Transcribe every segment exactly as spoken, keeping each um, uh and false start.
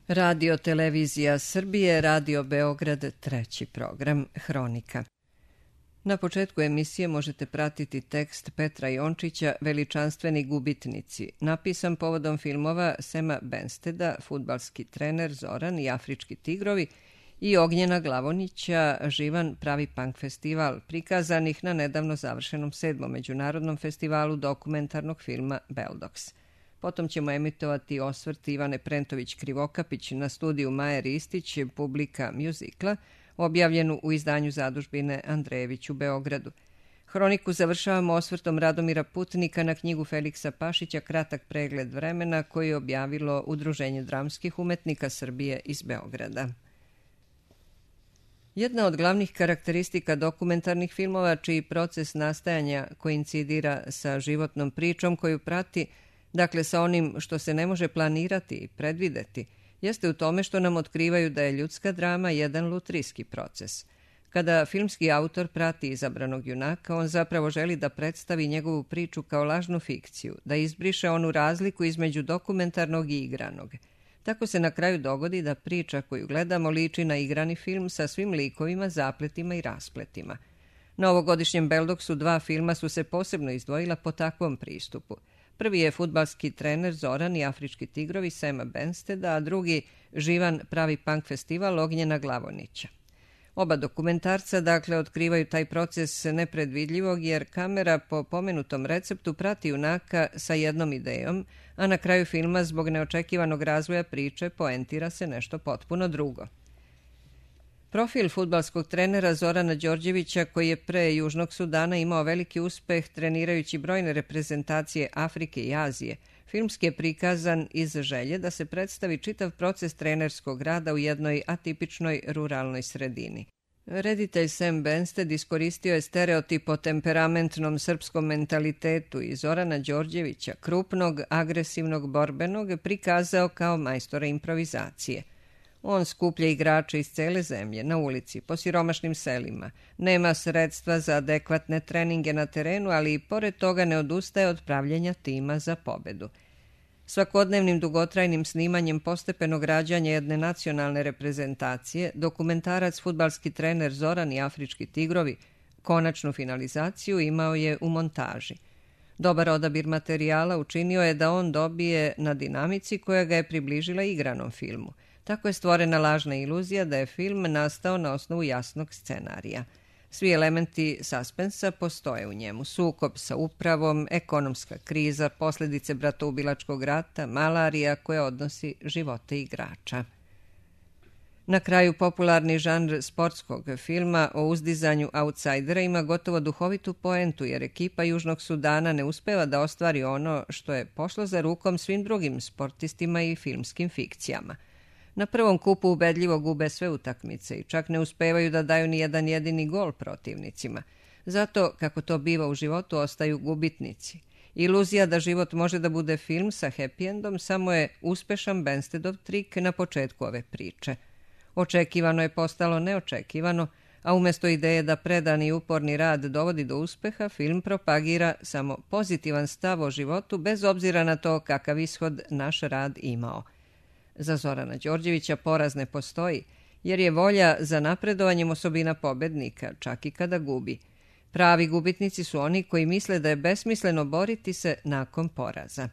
Radio Televizija Srbije, Radio Beograd, treći program, Hronika. Na početku emisije možete pratiti tekst Petra Jončića Veličanstveni gubitnici, napisan povodom filmova Sema Bensteda, Fudbalski trener Zoran i Afrički tigrovi, i Ognjena Glavonića, Živan pravi punk festival, prikazanih na nedavno završenom sedmom međunarodnom festivalu dokumentarnog filma Beldox. Potom ćemo emitovati osvrt Ivane Prentović-Krivokapić na studiju Maje Ristić, Publika mjuzikla, objavljenu u izdanju zadužbine Andrejević u Beogradu. Hroniku završavamo osvrtom Radomira Putnika na knjigu Feliksa Pašića Kratak pregled vremena, koji je objavilo Udruženje dramskih umetnika Srbije iz Beograda. Jedna od glavnih karakteristika dokumentarnih filmova, čiji proces nastajanja koincidira sa životnom pričom koju prati, dakle sa onim što se ne može planirati i predvideti, jeste u tome što nam otkrivaju da je ljudska drama jedan lutrijski proces. Kada filmski autor prati izabranog junaka, on zapravo želi da predstavi njegovu priču kao lažnu fikciju, da izbriše onu razliku između dokumentarnog i igranog. Tako se na kraju dogodi da priča koju gledamo liči na igrani film sa svim likovima, zapletima i raspletima. Na ovogodišnjem Beldoksu dva filma su se posebno izdvojila po takvom pristupu. Prvi je Fudbalski trener Zoran i Afrički tigrovi Sema Bensteda, a drugi Živan pravi punk festival Ognjena Glavonića. Oba dokumentarca, dakle, otkrivaju taj proces nepredvidljivog, jer kamera po pomenutom receptu prati junaka sa jednom idejom, a na kraju filma zbog neočekivanog razvoja priče poentira se nešto potpuno drugo. Profil fudbalskog trenera Zorana Đorđevića, koji je pre Južnog Sudana imao veliki uspeh trenirajući brojne reprezentacije Afrike i Azije, filmski je prikazan iz želje da se predstavi čitav proces trenerskog rada u jednoj atipičnoj ruralnoj sredini. Reditelj Sem Bensted iskoristio je stereotip o temperamentnom srpskom mentalitetu i Zorana Đorđevića, krupnog, agresivnog, borbenog, prikazao kao majstora improvizacije. On skuplja igrače iz cele zemlje, na ulici, po siromašnim selima. Nema sredstva za adekvatne treninge na terenu, ali i pored toga ne odustaje od pravljenja tima za pobedu. Svakodnevnim dugotrajnim snimanjem postepenog rađanja jedne nacionalne reprezentacije, dokumentarac Fudbalski trener Zoran i Afrički tigrovi konačnu finalizaciju imao je u montaži. Dobar odabir materijala učinio je da on dobije na dinamici koja ga je približila igranom filmu. Tako je stvorena lažna iluzija da je film nastao na osnovu jasnog scenarija. Svi elementi suspensa postoje u njemu. Sukob sa upravom, ekonomska kriza, posljedice bratoubilačkog rata, malarija koja odnosi živote igrača. Na kraju, popularni žanr sportskog filma o uzdizanju autsajdera ima gotovo duhovitu poentu, jer ekipa Južnog Sudana ne uspeva da ostvari ono što je pošlo za rukom svim drugim sportistima i filmskim fikcijama. Na prvom kupu ubedljivo gube sve utakmice i čak ne uspevaju da daju ni jedan jedini gol protivnicima. Zato, kako to biva u životu, ostaju gubitnici. Iluzija da život može da bude film sa happy endom samo je uspešan Benstedov trik na početku ove priče. Očekivano je postalo neočekivano, a umjesto ideje da predani i uporni rad dovodi do uspeha, film propagira samo pozitivan stav o životu bez obzira na to kakav ishod naš rad imao. Za Zorana Đorđevića poraz ne postoji, jer je volja za napredovanjem osobina pobednika, čak i kada gubi. Pravi gubitnici su oni koji misle da je besmisleno boriti se nakon poraza.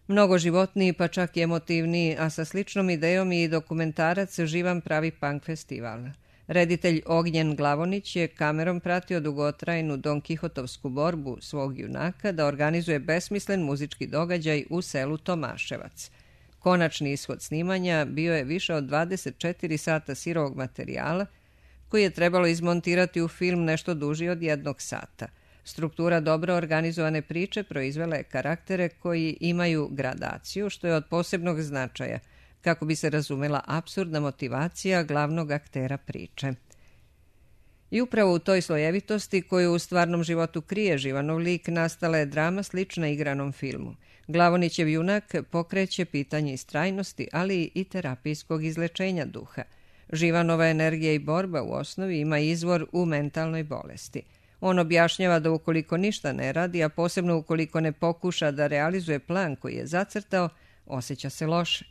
Mnogo životniji, pa čak i emotivniji, a sa sličnom idejom i dokumentarac Živan pravi punk festival. Reditelj Ognjen Glavonić je kamerom pratio dugotrajnu Don Kihotovsku borbu svog junaka da organizuje besmislen muzički događaj u selu Tomaševac. Konačni ishod snimanja bio je više od dvadeset četiri sata sirovog materijala, koji je trebalo izmontirati u film nešto duži od jednog sata. Struktura dobro organizovane priče proizvela je karaktere koji imaju gradaciju, što je od posebnog značaja, kako bi se razumela apsurdna motivacija glavnog aktera priče. I upravo u toj slojevitosti koju u stvarnom životu krije Živanov lik nastala je drama slična igranom filmu. Glavonićev junak pokreće pitanje istrajnosti, ali i terapijskog izlečenja duha. Živanova energija i borba u osnovi ima izvor u mentalnoj bolesti. On objašnjava da ukoliko ništa ne radi, a posebno ukoliko ne pokuša da realizuje plan koji je zacrtao, osjeća se loše.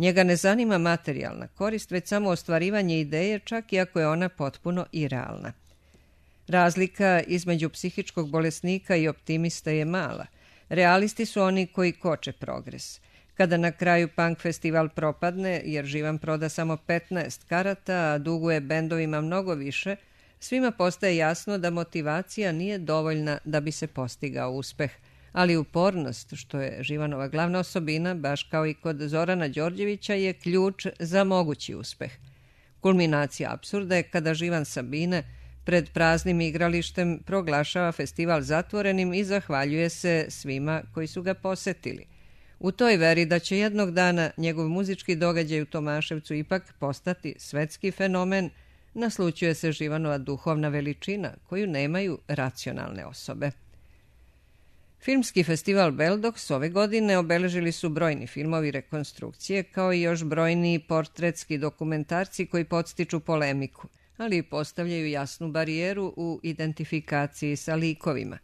Njega ne zanima materijalna korist, već samo ostvarivanje ideje, čak i ako je ona potpuno irealna. Razlika između psihičkog bolesnika i optimista je mala. Realisti su oni koji koče progres. Kada na kraju punk festival propadne, jer Živan proda samo petnaest karata, a duguje bendovima mnogo više, svima postaje jasno da motivacija nije dovoljna da bi se postigao uspeh, ali upornost, što je Živanova glavna osobina, baš kao i kod Zorana Đorđevića, je ključ za mogući uspeh. Kulminacija apsurda je kada Živan Sabine pred praznim igralištem proglašava festival zatvorenim i zahvaljuje se svima koji su ga posetili. U toj veri da će jednog dana njegov muzički događaj u Tomaševcu ipak postati svetski fenomen, naslućuje se Živanova duhovna veličina koju nemaju racionalne osobe. Filmski festival Beldox ove godine obeležili su brojni filmovi rekonstrukcije, kao i još brojni portretski dokumentarci koji podstiču polemiku, ali i postavljaju jasnu barijeru u identifikaciji sa likovima.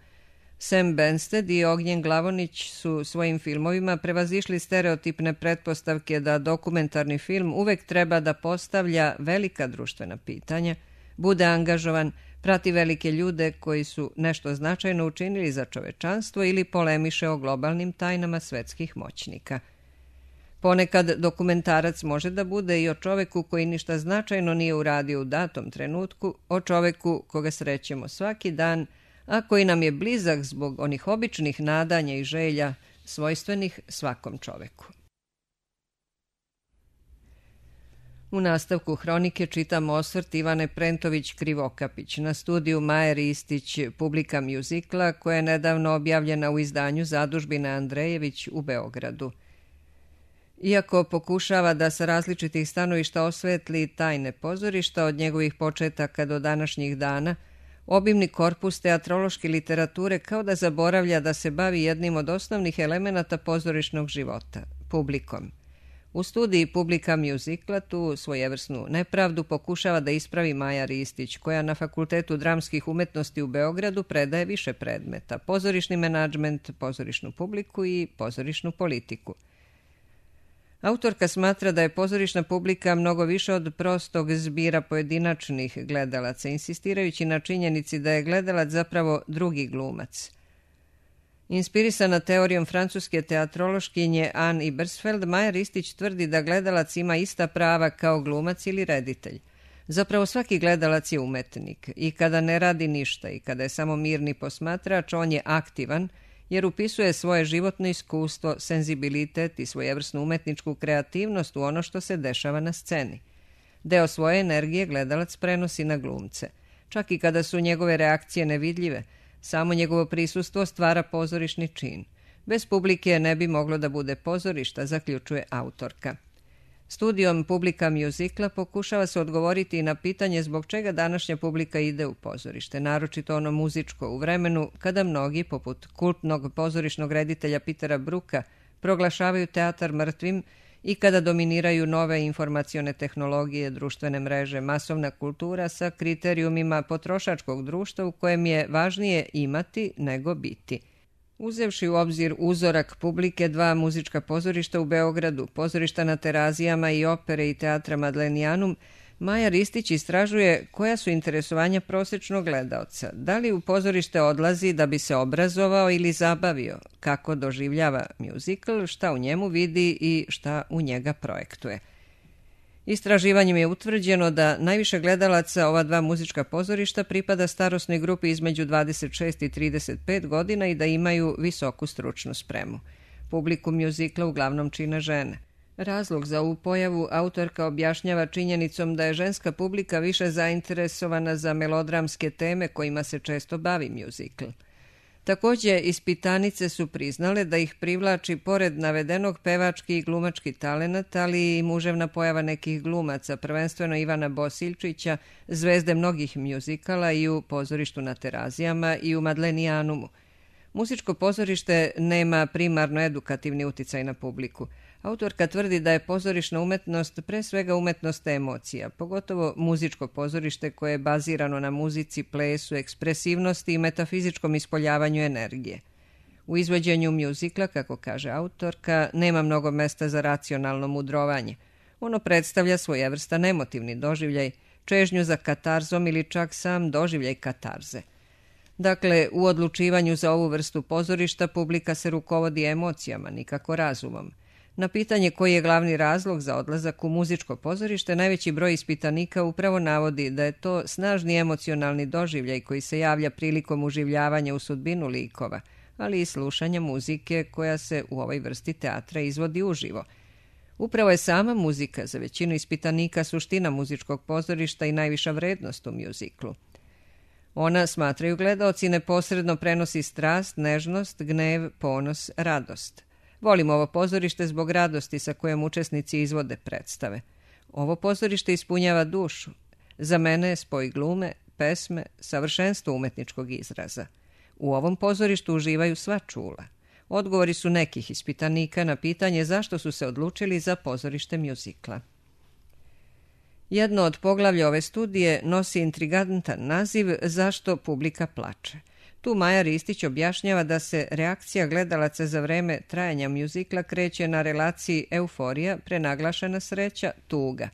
Sam Bensted i Ognjen Glavonić su svojim filmovima prevazišli stereotipne pretpostavke da dokumentarni film uvek treba da postavlja velika društvena pitanja, bude angažovan, prati velike ljude koji su nešto značajno učinili za čovečanstvo ili polemiše o globalnim tajnama svetskih moćnika. Ponekad dokumentarac može da bude i o čoveku koji ništa značajno nije uradio u datom trenutku, o čoveku koga srećemo svaki dan, a koji nam je blizak zbog onih običnih nadanja i želja svojstvenih svakom čoveku. U nastavku hronike čitamo osvrt Ivane Prentović-Krivokapić na studiju Maje Ristić Publika mjuzikla, koja je nedavno objavljena u izdanju Zadužbine Andrejević u Beogradu. Iako pokušava da sa različitih stanovišta osvetli tajne pozorišta od njegovih početaka do današnjih dana, obimni korpus teatrološke literature kao da zaboravlja da se bavi jednim od osnovnih elemenata pozorišnog života – publikom. U studiji Publika mjuzikla tu svojevrsnu nepravdu pokušava da ispravi Maja Ristić, koja na Fakultetu dramskih umetnosti u Beogradu predaje više predmeta – pozorišni menadžment, pozorišnu publiku i pozorišnu politiku. Autorka smatra da je pozorišna publika mnogo više od prostog zbira pojedinačnih gledalaca, insistirajući na činjenici da je gledalac zapravo drugi glumac. Inspirisana teorijom francuske teatrološkinje Anne Ibersfeld, Maja Ristić tvrdi da gledalac ima ista prava kao glumac ili reditelj. Zapravo svaki gledalac je umetnik i kada ne radi ništa i kada je samo mirni posmatrač, on je aktivan, jer upisuje svoje životno iskustvo, senzibilitet i svojevrsnu umetničku kreativnost u ono što se dešava na sceni. Deo svoje energije gledalac prenosi na glumce. Čak i kada su njegove reakcije nevidljive, samo njegovo prisustvo stvara pozorišni čin. Bez publike ne bi moglo da bude pozorišta, zaključuje autorka. Studijom Publika mjuzikla pokušava se odgovoriti i na pitanje zbog čega današnja publika ide u pozorište, naročito ono muzičko, u vremenu kada mnogi, poput kultnog pozorišnog reditelja Petera Bruka, proglašavaju teatar mrtvim i kada dominiraju nove informacione tehnologije, društvene mreže, masovna kultura sa kriterijumima potrošačkog društva u kojem je važnije imati nego biti. Uzevši u obzir uzorak publike dva muzička pozorišta u Beogradu, pozorišta na Terazijama i opere i teatra Madlenijanum, Maja Ristić istražuje koja su interesovanja prosečnog gledaoca, da li u pozorište odlazi da bi se obrazovao ili zabavio, kako doživljava mjuzikl, šta u njemu vidi i šta u njega projektuje. Istraživanjem je utvrđeno da najviše gledalaca ova dva muzička pozorišta pripada starosnoj grupi između dvadeset šest i trideset pet godina i da imaju visoku stručnu spremu. Publiku mjuzikla uglavnom čine žene. Razlog za ovu pojavu autorka objašnjava činjenicom da je ženska publika više zainteresovana za melodramske teme kojima se često bavi mjuzikl. Također, ispitanice su priznale da ih privlači pored navedenog pevački i glumački talenat, ali i muževna pojava nekih glumaca, prvenstveno Ivana Bosiljčića, zvezde mnogih mjuzikala i u pozorištu na Terazijama i u Madlenijanumu. Muzičko pozorište nema primarno edukativni uticaj na publiku. Autorka tvrdi da je pozorišna umetnost pre svega umetnost emocija, pogotovo muzičko pozorište koje je bazirano na muzici, plesu, ekspresivnosti i metafizičkom ispoljavanju energije. U izvođenju mjuzikla, kako kaže autorka, nema mnogo mesta za racionalno mudrovanje. Ono predstavlja svojevrstan emotivni doživljaj, čežnju za katarzom ili čak sam doživljaj katarze. Dakle, u odlučivanju za ovu vrstu pozorišta publika se rukovodi emocijama, nikako razumom. Na pitanje koji je glavni razlog za odlazak u muzičko pozorište, najveći broj ispitanika upravo navodi da je to snažni emocionalni doživljaj koji se javlja prilikom uživljavanja u sudbinu likova, ali i slušanja muzike koja se u ovoj vrsti teatra izvodi uživo. Upravo je sama muzika za većinu ispitanika suština muzičkog pozorišta i najviša vrednost u mjuziklu. Ona, smatraju gledaoci, neposredno prenosi strast, nežnost, gnev, ponos, radost. Volim ovo pozorište zbog radosti sa kojom učesnici izvode predstave. Ovo pozorište ispunjava dušu. Za mene je spoj glume, pesme, savršenstvo umetničkog izraza. U ovom pozorištu uživaju sva čula. Odgovori su nekih ispitanika na pitanje zašto su se odlučili za pozorište mjuzikla. Jedno od poglavlja ove studije nosi intrigantan naziv Zašto publika plače. Tu Maja Ristić objašnjava da se reakcija gledalaca za vreme trajanja mjuzikla kreće na relaciji euforija, prenaglašena sreća, tuga.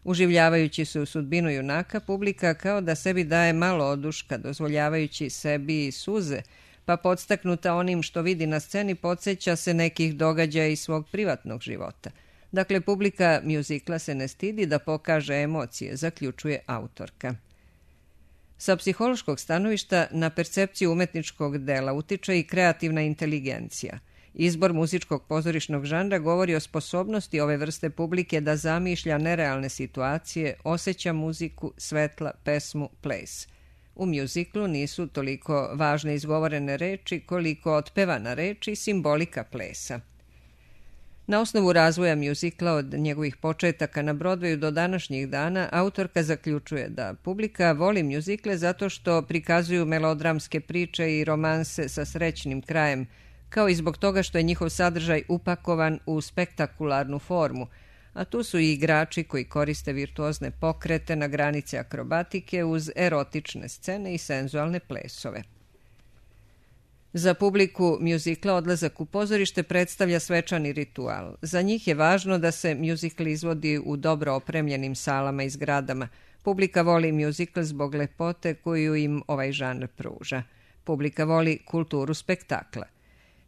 Uživljavajući se u sudbinu junaka, publika kao da sebi daje malo oduška, dozvoljavajući sebi i suze, pa podstaknuta onim što vidi na sceni podsjeća se nekih događaja iz svog privatnog života. Dakle, publika mjuzikla se ne stidi da pokaže emocije, zaključuje autorka. Sa psihološkog stanovišta na percepciju umetničkog dela utiče i kreativna inteligencija. Izbor muzičkog pozorišnog žanra govori o sposobnosti ove vrste publike da zamišlja nerealne situacije, osjeća muziku, svetla, pesmu, ples. U mjuziklu nisu toliko važne izgovorene reči koliko otpevana reč i simbolika plesa. Na osnovu razvoja mjuzikla od njegovih početaka na Broadwayu do današnjih dana, autorka zaključuje da publika voli mjuzikle zato što prikazuju melodramske priče i romanse sa srećnim krajem, kao i zbog toga što je njihov sadržaj upakovan u spektakularnu formu, a tu su i igrači koji koriste virtuozne pokrete na granice akrobatike uz erotične scene i senzualne plesove. Za publiku mjuzikla odlazak u pozorište predstavlja svečani ritual. Za njih je važno da se mjuzikl izvodi u dobro opremljenim salama i zgradama. Publika voli mjuzikl zbog lepote koju im ovaj žanr pruža. Publika voli kulturu spektakla.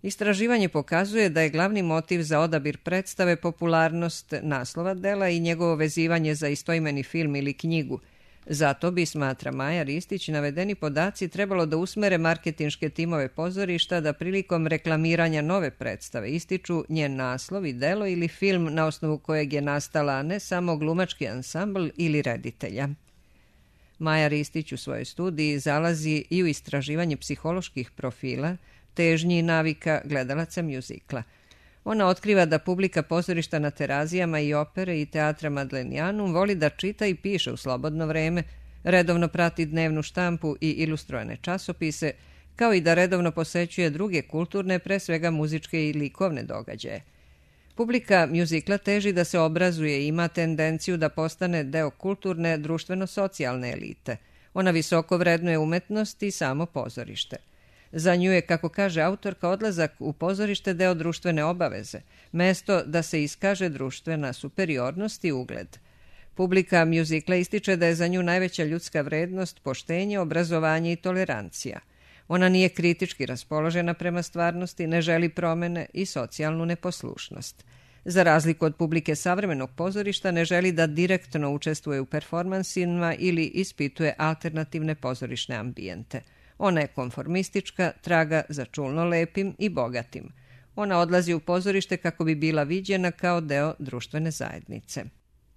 Istraživanje pokazuje da je glavni motiv za odabir predstave popularnost naslova dela i njegovo vezivanje za istoimeni film ili knjigu. Zato bi, smatra Maja Ristić, navedeni podaci trebalo da usmere marketinške timove pozorišta da prilikom reklamiranja nove predstave ističu njen naslov i delo ili film na osnovu kojeg je nastala ne samo glumački ansambl ili reditelja. Maja Ristić u svojoj studiji zalazi i u istraživanje psiholoških profila, težnji i navika gledalaca mjuzikla. Ona otkriva da publika pozorišta na Terazijama i opere i teatra Madlenianum voli da čita i piše u slobodno vreme, redovno prati dnevnu štampu i ilustrojene časopise, kao i da redovno posećuje druge kulturne, pre svega muzičke i likovne događaje. Publika mjuzikla teži da se obrazuje i ima tendenciju da postane deo kulturne, društveno-socijalne elite. Ona visoko vrednuje umetnost i samo pozorište. Za nju je, kako kaže autorka, odlazak u pozorište deo društvene obaveze, mesto da se iskaže društvena superiornost i ugled. Publika mjuzikla ističe da je za nju najveća ljudska vrednost poštenje, obrazovanje i tolerancija. Ona nije kritički raspoložena prema stvarnosti, ne želi promene i socijalnu neposlušnost. Za razliku od publike savremenog pozorišta, ne želi da direktno učestvuje u performansima ili ispituje alternativne pozorišne ambijente. Ona je konformistička, traga za čulno lepim i bogatim. Ona odlazi u pozorište kako bi bila viđena kao deo društvene zajednice.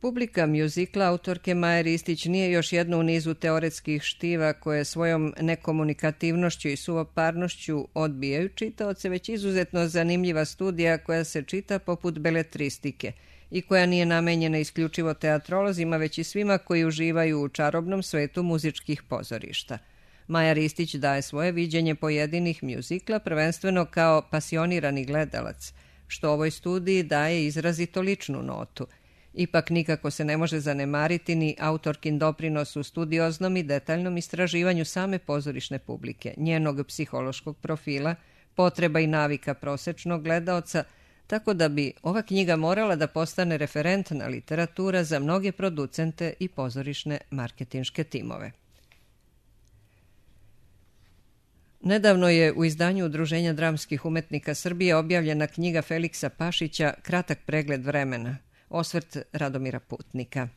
Publika mjuzikla autorke Maje Ristić nije još jedno u nizu teoretskih štiva koje svojom nekomunikativnošću i suvoparnošću odbijaju čitaoce, već izuzetno zanimljiva studija koja se čita poput beletristike i koja nije namenjena isključivo teatrolozima, već i svima koji uživaju u čarobnom svetu muzičkih pozorišta. Maja Ristić daje svoje viđenje pojedinih mjuzikla prvenstveno kao pasionirani gledalac, što ovoj studiji daje izrazito ličnu notu. Ipak nikako se ne može zanemariti ni autorkin doprinos u studioznom i detaljnom istraživanju same pozorišne publike, njenog psihološkog profila, potreba i navika prosečnog gledaoca, tako da bi ova knjiga morala da postane referentna literatura za mnoge producente i pozorišne marketinške timove. Nedavno je u izdanju Udruženja dramskih umetnika Srbije objavljena knjiga Feliksa Pašića Kratak pregled vremena, osvrt Radomira Putnika.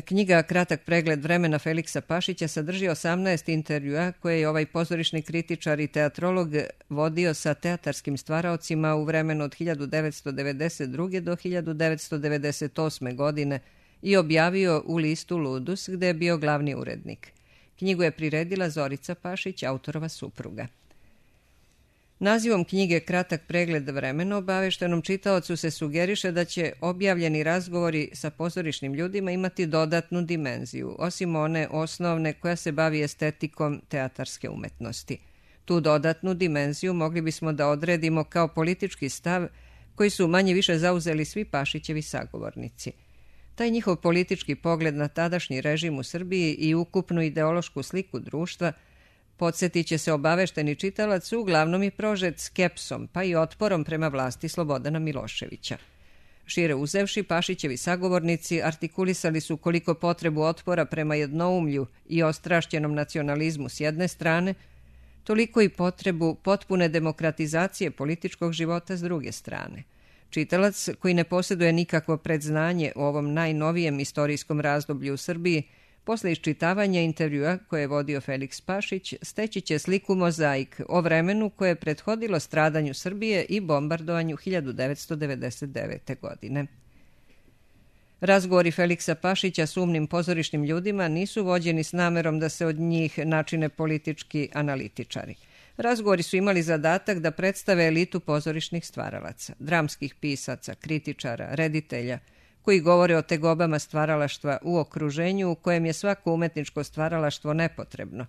Knjiga Kratak pregled vremena Feliksa Pašića sadrži osamnaest intervjua koje je ovaj pozorišni kritičar i teatrolog vodio sa teatarskim stvaraocima u vremenu od hiljadu devetsto devedeset druge do hiljadu devetsto devedeset osme godine i objavio u listu Ludus, gde je bio glavni urednik. Knjigu je priredila Zorica Pašić, autorova supruga. Nazivom knjige Kratak pregled vremena obaveštenom čitaocu se sugeriše da će objavljeni razgovori sa pozorišnim ljudima imati dodatnu dimenziju, osim one osnovne koja se bavi estetikom teatarske umetnosti. Tu dodatnu dimenziju mogli bismo da odredimo kao politički stav koji su manje više zauzeli svi Pašićevi sagovornici. Taj njihov politički pogled na tadašnji režim u Srbiji i ukupnu ideološku sliku društva podsjetit će se obavešteni čitalac, uglavnom je prožet skepsom, pa i otporom prema vlasti Slobodana Miloševića. Šire uzevši, Pašićevi sagovornici artikulisali su koliko potrebu otpora prema jednoumlju i ostrašćenom nacionalizmu s jedne strane, toliko i potrebu potpune demokratizacije političkog života s druge strane. Čitalac, koji ne posjeduje nikakvo predznanje o ovom najnovijem istorijskom razdoblju u Srbiji, posle iščitavanja intervjua koje je vodio Feliks Pašić, steći će sliku mozaik o vremenu koje je prethodilo stradanju Srbije i bombardovanju hiljadu devetsto devedeset devete. godine. Razgovori Feliksa Pašića s umnim pozorišnim ljudima nisu vođeni s namerom da se od njih načine politički analitičari. Razgovori su imali zadatak da predstave elitu pozorišnih stvaralaca, dramskih pisaca, kritičara, reditelja, koji govore o tegobama stvaralaštva u okruženju u kojem je svako umetničko stvaralaštvo nepotrebno.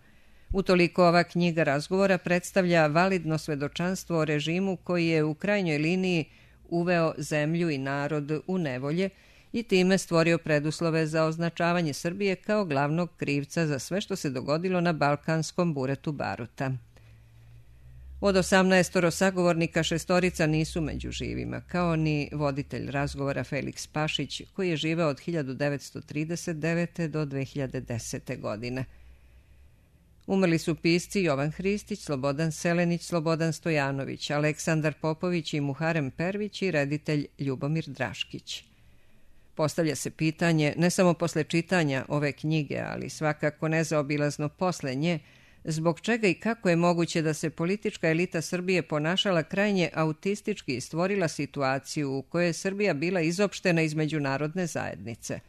Utoliko ova knjiga razgovora predstavlja validno svedočanstvo o režimu koji je u krajnjoj liniji uveo zemlju i narod u nevolje i time stvorio preduslove za označavanje Srbije kao glavnog krivca za sve što se dogodilo na balkanskom buretu baruta. Od osamnaestoro sagovornika šestorica nisu među živima, kao ni voditelj razgovora Feliks Pašić, koji je živeo od hiljadu devetsto trideset devete. do dve hiljade desete. godine. Umrli su pisci Jovan Hristić, Slobodan Selenić, Slobodan Stojanović, Aleksandar Popović i Muharem Pervić i reditelj Ljubomir Draškić. Postavlja se pitanje, ne samo posle čitanja ove knjige, ali svakako nezaobilazno posle nje, zbog čega i kako je moguće da se politička elita Srbije ponašala krajnje autistički i stvorila situaciju u kojoj je Srbija bila izopštena iz međunarodne zajednice.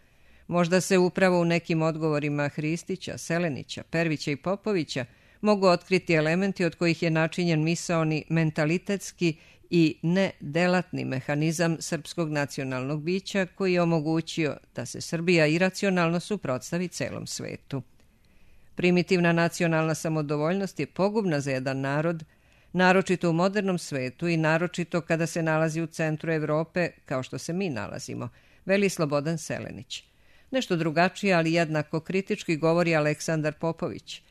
Možda se upravo u nekim odgovorima Hristića, Selenića, Pervića i Popovića mogu otkriti elementi od kojih je načinjen misaoni mentalitetski i nedelatni mehanizam srpskog nacionalnog bića koji je omogućio da se Srbija iracionalno suprotstavi celom svetu. Primitivna nacionalna samodovoljnost je pogubna za jedan narod, naročito u modernom svetu i naročito kada se nalazi u centru Evrope, kao što se mi nalazimo, veli Slobodan Selenić. Nešto drugačije, ali jednako kritički govori Aleksandar Popović.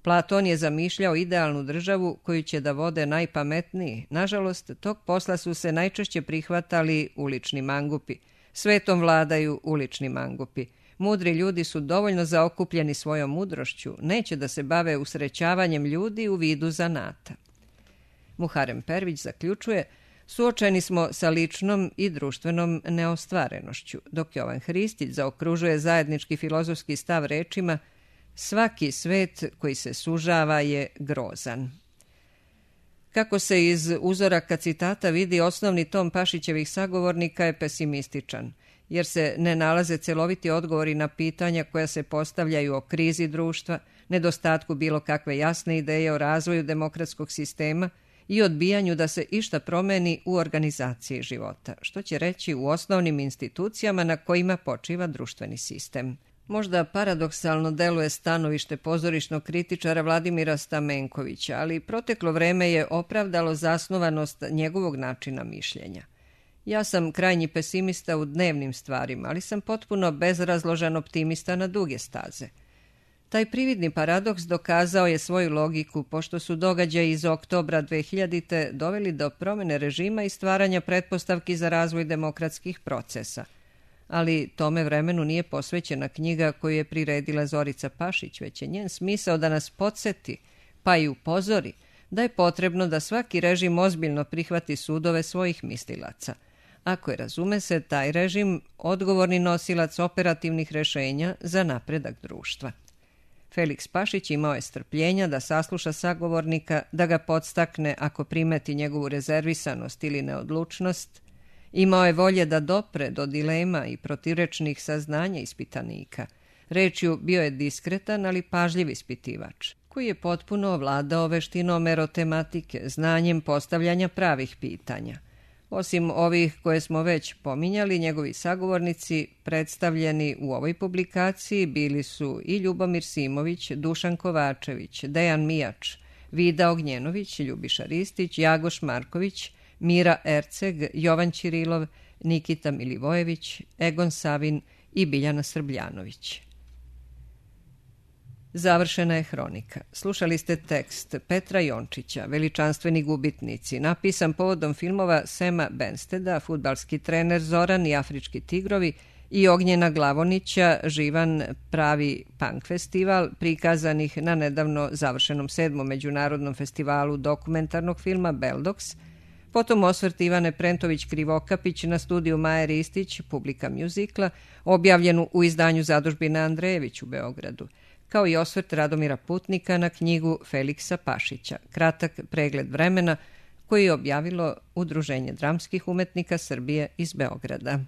Platon je zamišljao idealnu državu koju će da vode najpametniji. Nažalost, tog posla su se najčešće prihvatali ulični mangupi. Svetom vladaju ulični mangupi. Mudri ljudi su dovoljno zaokupljeni svojom mudrošću, neće da se bave usrećavanjem ljudi u vidu zanata. Muharem Pervić zaključuje, suočeni smo sa ličnom i društvenom neostvarenošću, dok Jovan Hristić zaokružuje zajednički filozofski stav rečima svaki svet koji se sužava je grozan. Kako se iz uzoraka citata vidi, osnovni ton Pašićevih sagovornika je pesimističan, jer se ne nalaze celoviti odgovori na pitanja koja se postavljaju o krizi društva, nedostatku bilo kakve jasne ideje o razvoju demokratskog sistema i odbijanju da se išta promeni u organizaciji života, što će reći u osnovnim institucijama na kojima počiva društveni sistem. Možda paradoksalno deluje stanovište pozorišnog kritičara Vladimira Stamenkovića, ali proteklo vreme je opravdalo zasnovanost njegovog načina mišljenja. Ja sam krajnji pesimista u dnevnim stvarima, ali sam potpuno bezrazložan optimista na duge staze. Taj prividni paradoks dokazao je svoju logiku pošto su događaji iz oktobra dve hiljadite doveli do promene režima i stvaranja pretpostavki za razvoj demokratskih procesa. Ali tome vremenu nije posvećena knjiga koju je priredila Zorica Pašić, već je njen smisao da nas podsjeti, pa i upozori, da je potrebno da svaki režim ozbiljno prihvati sudove svojih mislilaca. Ako je, razume se, taj režim odgovorni nosilac operativnih rešenja za napredak društva. Feliks Pašić imao je strpljenja da sasluša sagovornika, da ga podstakne ako primeti njegovu rezervisanost ili neodlučnost. Imao je volje da dopre do dilema i protivrečnih saznanja ispitanika. Rečju, bio je diskretan, ali pažljiv ispitivač, koji je potpuno ovladao veštinom erotematike, znanjem postavljanja pravih pitanja. Osim ovih koje smo već pominjali, njegovi sagovornici predstavljeni u ovoj publikaciji bili su i Ljubomir Simović, Dušan Kovačević, Dejan Mijač, Vida Ognjenović, Ljubiša Ristić, Jagoš Marković, Mira Erceg, Jovan Ćirilov, Nikita Milivojević, Egon Savin i Biljana Srbljanović. Završena je hronika. Slušali ste tekst Petra Jončića, Veličanstveni gubitnici, napisan povodom filmova Sema Bensteda, Fudbalski trener Zoran i Afrički tigrovi i Ognjena Glavonića, Živan pravi punk festival, prikazanih na nedavno završenom sedmom međunarodnom festivalu dokumentarnog filma Beldox, potom osvrt Ivane Prentović-Krivokapić na studiju Maje Ristić, publika mjuzikla, objavljenu u izdanju Zadužbine Andrejević u Beogradu, kao i osvrt Radomira Putnika na knjigu Feliksa Pašića, kratak pregled vremena, koji je objavilo Udruženje dramskih umetnika Srbije iz Beograda.